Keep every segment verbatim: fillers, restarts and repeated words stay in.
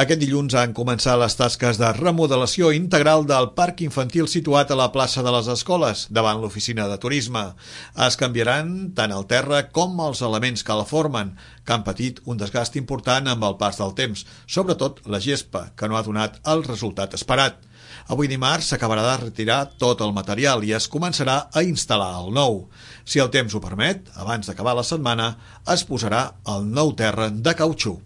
Aquest dilluns han començat les tasques de remodelació integral del parc infantil situat a la plaça de les Escoles, davant l'oficina de turisme. Es canviaran tant el terra com els elements que la formen, que han patit un desgast important amb el pas del temps, sobretot la gespa, que no ha donat el resultat esperat. Avui dimarts s'acabarà de retirar tot el material i es començarà a instal·lar el nou. Si el temps ho permet, abans d'acabar la setmana, es posarà el nou terra de cautxú.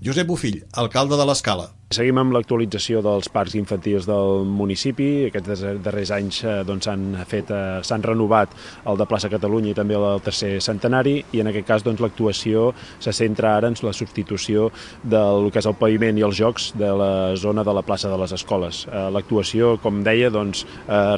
Josep Bofill, alcalde de l'Escala. Seguim amb l'actualització dels parcs infantils del municipi. Aquests darrers anys doncs, s'han fet, s'han renovat el de Plaça Catalunya i també el tercer centenari, i en aquest cas doncs, l'actuació se centra ara en la substitució del que és el paviment i els jocs de la zona de la plaça de les Escoles. L'actuació, com deia, doncs,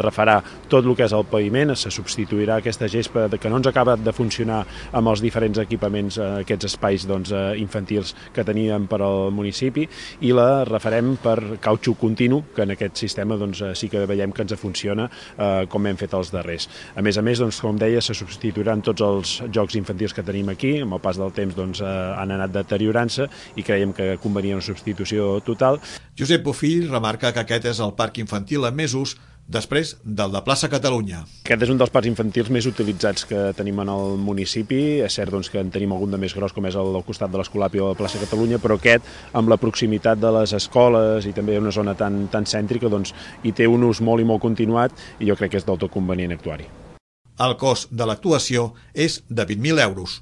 refarà tot el que és el paviment, se substituirà aquesta gespa que no ens acaba de funcionar amb els diferents equipaments, aquests espais doncs, infantils que teníem per al municipi, i la refarem per cautxú continu, que en aquest sistema doncs, sí que veiem que ens funciona eh, com hem fet els darrers. A més a més, doncs, com deia, se substituiran tots els jocs infantils que tenim aquí. Amb el pas del temps doncs, eh, han anat deteriorant-se i creiem que convenia una substitució total. Josep Bofill remarca que aquest és el parc infantil amb més ús després del de Plaça Catalunya. Aquest és un dels parcs infantils més utilitzats que tenim en el municipi. És cert doncs, que en tenim algun de més gros, com és el del costat de l'Escolapio o de la plaça Catalunya, però aquest, amb la proximitat de les escoles i també una zona tan, tan cèntrica, doncs, hi té un ús molt i molt continuat, i jo crec que és del tot convenient actuar-hi. El cost de l'actuació és de vint mil euros.